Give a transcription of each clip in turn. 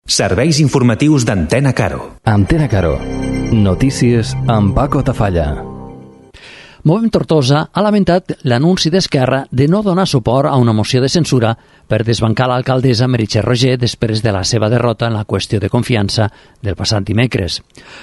Serveis informatius d'Antena Caro. Antena Caro. Notícies amb Paco Tafalla. Movem Tortosa ha lamentat l'anunci d'Esquerra de no donar suport a una moció de censura per desbancar l'alcaldessa Meritxell Roger després de la seva derrota en la qüestió de confiança del passat dimecres.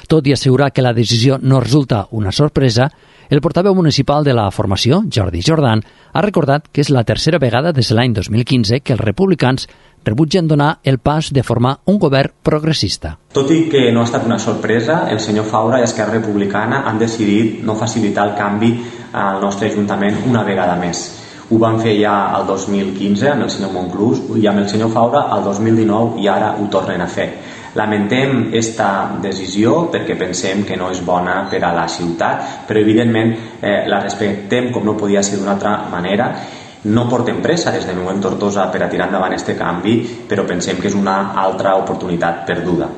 Tot i assegurar que la decisió no resulta una sorpresa, el portaveu municipal de la formació, Jordi Jordan, ha recordat que és la tercera vegada des de l'any 2015 que els republicans rebutgen donar el pas de formar un govern progressista. Tot i que no ha estat una sorpresa, el senyor Faura i Esquerra Republicana han decidit no facilitar el canvi al nostre Ajuntament una vegada més. Ho van fer ja el 2015 amb el senyor Monclús i amb el senyor Faura el 2019 i ara ho tornen a fer. Lamentem esta decisió perquè pensem que no és bona per a la ciutat, però evidentment la respectem com no podia ser d'una altra manera. No portem pressa des de Movem Tortosa per a tirar endavant este canvi, però pensem que és una altra oportunitat perduda.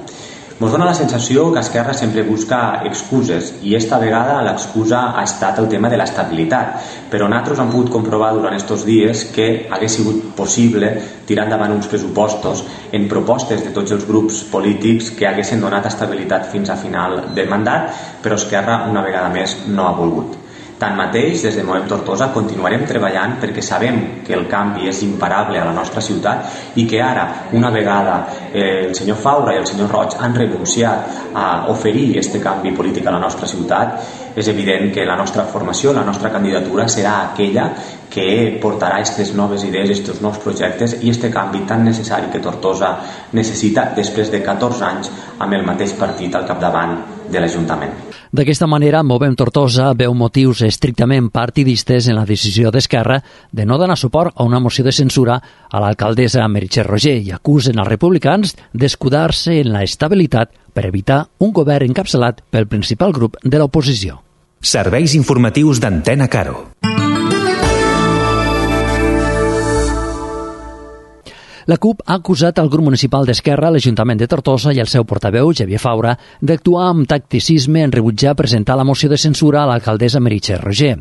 Ens dona la sensació que Esquerra sempre busca excuses i esta vegada l'excusa ha estat el tema de l'estabilitat, però nosaltres hem pogut comprovar durant aquests dies que hagués sigut possible tirar endavant uns pressupostos en propostes de tots els grups polítics que haguessin donat estabilitat fins a final de mandat, però Esquerra una vegada més no ha volgut. Tanmateix, des de Movem Tortosa continuarem treballant perquè sabem que el canvi és imparable a la nostra ciutat i que ara, una vegada el senyor Faura i el senyor Roig han renunciat a oferir aquest canvi polític a la nostra ciutat, és evident que la nostra formació, la nostra candidatura serà aquella que portarà aquestes noves idees, aquests nous projectes i aquest canvi tan necessari que Tortosa necessita després de 14 anys amb el mateix partit al capdavant de l'Ajuntament. D'aquesta manera, Movem Tortosa veu motius estrictament partidistes en la decisió d'Esquerra de no donar suport a una moció de censura a l'alcaldessa Meritxell Roger i acusen els republicans d'escudar-se en la estabilitat per evitar un govern encapçalat pel principal grup de l'oposició. Serveis informatius d'Antena Caro. La CUP ha acusat el grup municipal d'Esquerra, l'Ajuntament de Tortosa i el seu portaveu, Xavier Faura, d'actuar amb tacticisme en rebutjar presentar la moció de censura a l'alcaldessa Meritxell Roger.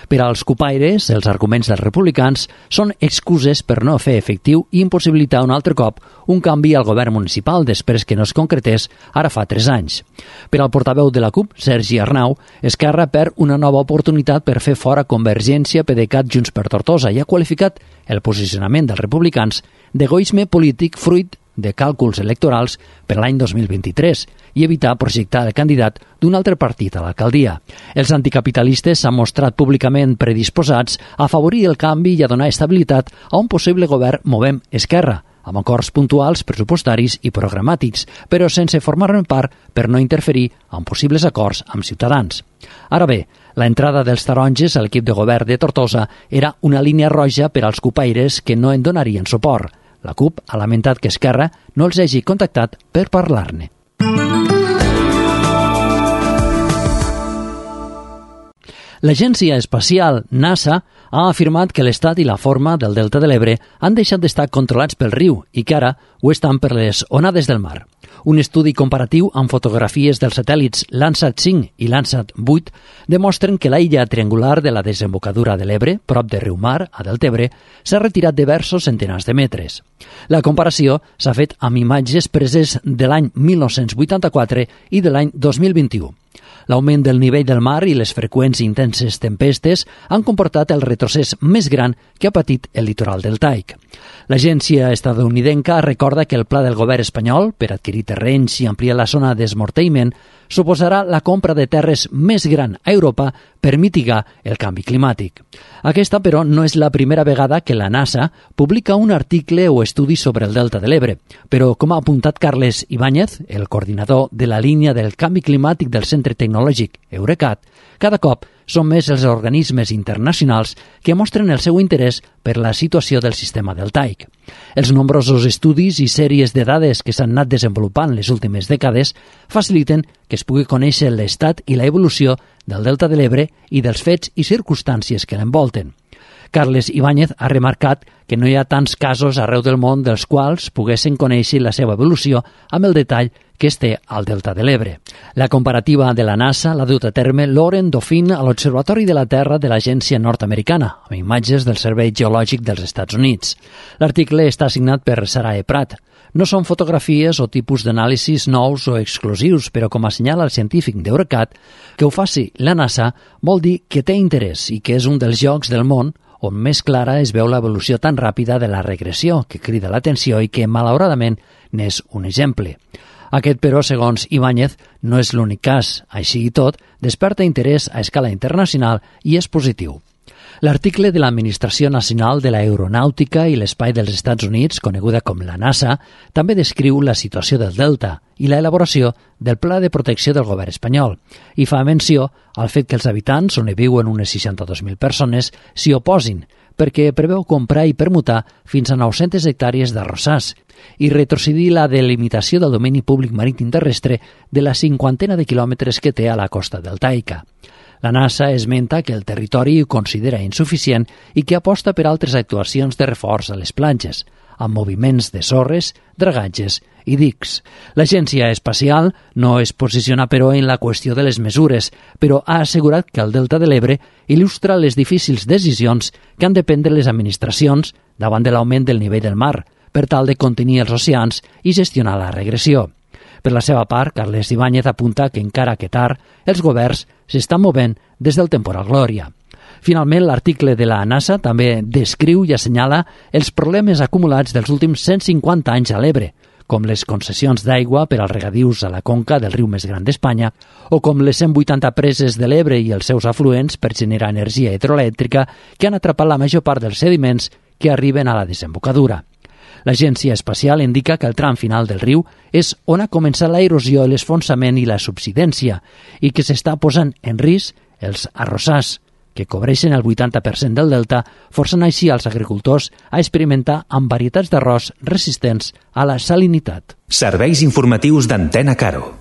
Per als cupaires, els arguments dels republicans són excuses per no fer efectiu i impossibilitar un altre cop un canvi al govern municipal després que no es concretés ara fa 3 anys. Per al portaveu de la CUP, Sergi Arnau, Esquerra perd una nova oportunitat per fer fora Convergència, PDeCAT, Junts per Tortosa i ha qualificat el posicionament dels republicans d'egoisme polític fruit de càlculs electorals per l'any 2023 i evitar projectar el candidat d'un altre partit a l'alcaldia. Els anticapitalistes s'han mostrat públicament predisposats a afavorir el canvi i a donar estabilitat a un possible govern Movem Esquerra, amb acords puntuals, pressupostaris i programàtics, però sense formar-ne part per no interferir en possibles acords amb Ciutadans. Ara bé, la entrada dels taronges a l'equip de govern de Tortosa era una línia roja per als cupaires que no en donarien suport. La CUP ha lamentat que Esquerra no els hagi contactat per parlar-ne. L'agència espacial NASA ha afirmat que l'estat i la forma del Delta de l'Ebre han deixat d'estar controlats pel riu i que ara ho estan per les onades del mar. Un estudi comparatiu amb fotografies dels satèl·lits Landsat 5 i Landsat 8 demostren que la illa triangular de la desembocadura de l'Ebre, prop de Riumar, a Deltebre, s'ha retirat diversos centenars de metres. La comparació s'ha fet amb imatges preses de l'any 1984 i de l'any 2021. L'augment del nivell del mar i les freqüents i intenses tempestes han comportat el retrocés més gran que ha patit el litoral deltaic. L'agència estatunidenca recorda que el pla del govern espanyol per adquirir terrenys i ampliar la zona d'esmorteïment suposarà la compra de terres més gran a Europa per mitigar el canvi climàtic. Aquesta, però, no és la primera vegada que la NASA publica un article o estudi sobre el Delta de l'Ebre, però, com ha apuntat Carles Ibáñez, el coordinador de la línia del canvi climàtic del Centre Tecnològic Eurecat, cada cop són més els organismes internacionals que mostren el seu interès per la situació del sistema deltaic. Els nombrosos estudis i sèries de dades que s'han anat desenvolupant les últimes dècades faciliten que es pugui conèixer l'estat i la evolució del Delta de l'Ebre i dels fets i circumstàncies que l'envolten. Carles Ibáñez ha remarcat que no hi ha tants casos arreu del món dels quals poguessin conèixer la seva evolució amb el detall que es té al Delta de l'Ebre. La comparativa de la NASA l'ha dut a terme Lauren Dauphin a l'Observatori de la Terra de l'Agència Nord-Americana, amb imatges del Servei Geològic dels Estats Units. L'article està signat per Sarah E. Pratt. No són fotografies o tipus d'anàlisis nous o exclusius, però com assenyala el científic d'Eurecat, que ho faci la NASA vol dir que té interès i que és un dels llocs del món on més clara es veu l'evolució tan ràpida de la regressió que crida l'atenció i que, malauradament, n'és un exemple. Aquest, però, segons Ibáñez, no és l'únic cas. Així i tot, desperta interès a escala internacional i és positiu. L'article de l'Administració Nacional de l'Aeronàutica i l'Espai dels Estats Units, coneguda com la NASA, també descriu la situació del Delta i l'elaboració del Pla de Protecció del govern espanyol i fa menció al fet que els habitants, on hi viuen unes 62.000 persones, s'hi oposin, perquè preveu comprar i permutar fins a 900 hectàrees d'arrossars i retrocedir la delimitació del domini públic marítim terrestre de la 50 de quilòmetres que té a la costa deltaica. La NASA esmenta que el territori ho considera insuficient i que aposta per altres actuacions de reforç a les platges, amb moviments de sorres, dragatges i dics. L'Agència Espacial no es posiciona, però, en la qüestió de les mesures, però ha assegurat que el Delta de l'Ebre il·lustra les difícils decisions que han de prendre les administracions davant de l'augment del nivell del mar, per tal de contenir els oceans i gestionar la regressió. Per la seva part, Carles Ibáñez apunta que, encara que tard, els governs s'estan movent des del temporal Glòria. Finalment, l'article de la NASA també descriu i assenyala els problemes acumulats dels últims 150 anys a l'Ebre, com les concessions d'aigua per als regadius a la conca del riu més gran d'Espanya, o com les 180 preses de l'Ebre i els seus afluents per generar energia hidroelèctrica que han atrapat la major part dels sediments que arriben a la desembocadura. L'Agència Espacial indica que el tram final del riu és on ha començat la erosió, l'esfonsament i la subsidència i que s'està posant en risc els arrossars, que cobreixen el 80% del delta, forçant així als agricultors a experimentar amb varietats d'arròs resistents a la salinitat. Serveis informatius d'Antena Caro.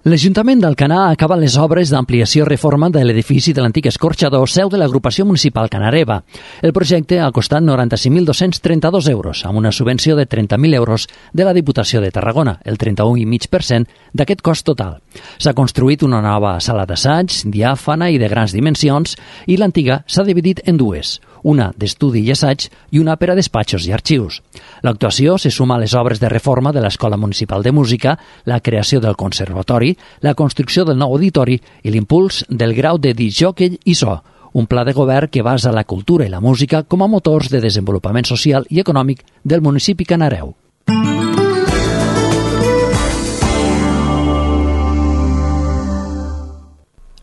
L'Ajuntament d'Alcanar acaba les obres d'ampliació i reforma de l'edifici de l'antic escorxador, seu de l'agrupació municipal canareva. El projecte ha costat 95.232 euros, amb una subvenció de 30.000 euros de la Diputació de Tarragona, el 31,5% d'aquest cost total. S'ha construït una nova sala d'assaig, diàfana i de grans dimensions, i l'antiga s'ha dividit en dues, una d'estudi i assaig i una per a despatxos i arxius. L'actuació se suma a les obres de reforma de l'Escola Municipal de Música, la creació del Conservatori, la construcció del nou auditori i l'impuls del grau de discjòquei i so, un pla de govern que basa la cultura i la música com a motors de desenvolupament social i econòmic del municipi canareu.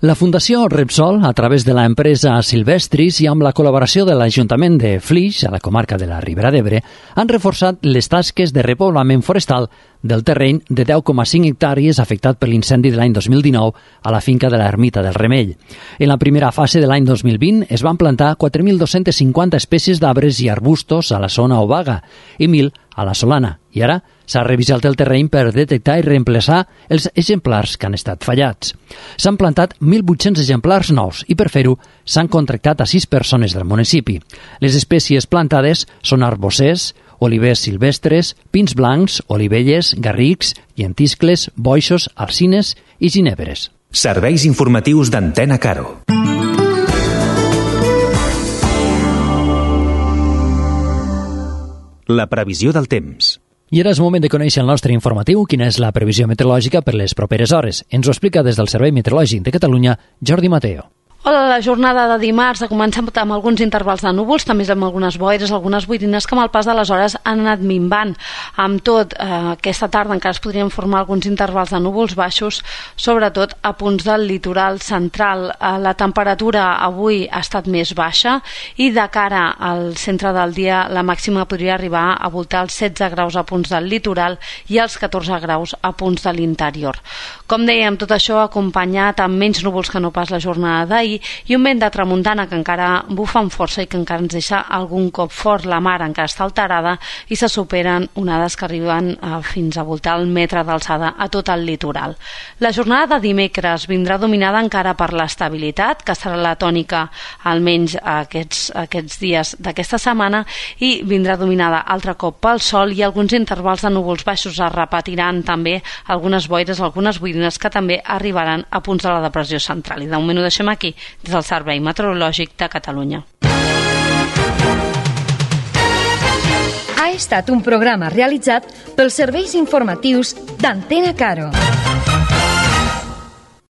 La Fundació Repsol, a través de l'empresa Silvestris i amb la col·laboració de l'Ajuntament de Flix, a la comarca de la Ribera d'Ebre, han reforçat les tasques de repoblament forestal del terreny de 10,5 hectàrees afectat per l'incendi de l'any 2019 a la finca de l'Ermita del Remell. En la primera fase de l'any 2020 es van plantar 4.250 espècies d'arbres i arbustos a la zona obaga i 1.000 a la Solana, i ara s'ha revisat el terreny per detectar i reemplaçar els exemplars que han estat fallats. S'han plantat 1.800 exemplars nous i per fer-ho s'han contractat a 6 persones del municipi. Les espècies plantades són arbossers, olivers silvestres, pins blancs, olivelles, garrics, llentiscles, boixos, alzines i ginebres. Serveis informatius d'Antena Caro. La previsió del temps. I ara és moment de conèixer el nostre informatiu, quina és la previsió meteorològica per les properes hores. Ens ho explica des del Servei Meteorològic de Catalunya, Jordi Mateo. Hola, la jornada de dimarts ha començat amb alguns intervals de núvols, també amb algunes boires, algunes boirines que amb el pas de les hores han anat minvant. Amb tot, aquesta tarda encara es podrien formar alguns intervals de núvols baixos, sobretot a punts del litoral central. La temperatura avui ha estat més baixa i de cara al centre del dia la màxima podria arribar a voltar els 16 graus a punts del litoral i els 14 graus a punts de l'interior. Com dèiem, tot això acompanyat amb menys núvols que no pas la jornada d'ahir i un vent de tramuntana que encara bufa amb força i que encara ens deixa algun cop fort. La mar encara està alterada i se superen onades que arriben fins a voltar el metre d'alçada a tot el litoral. La jornada de dimecres vindrà dominada encara per l'estabilitat, que serà la tònica almenys aquests dies d'aquesta setmana, i vindrà dominada altre cop pel sol i alguns intervals de núvols baixos. Es repetiran també algunes boires, algunes boirines que també arribaran a punts de la depressió central. I de moment ho deixem aquí, des del Servei Meteorològic de Catalunya. Ha estat un programa realitzat pels serveis informatius d'Antena Caro.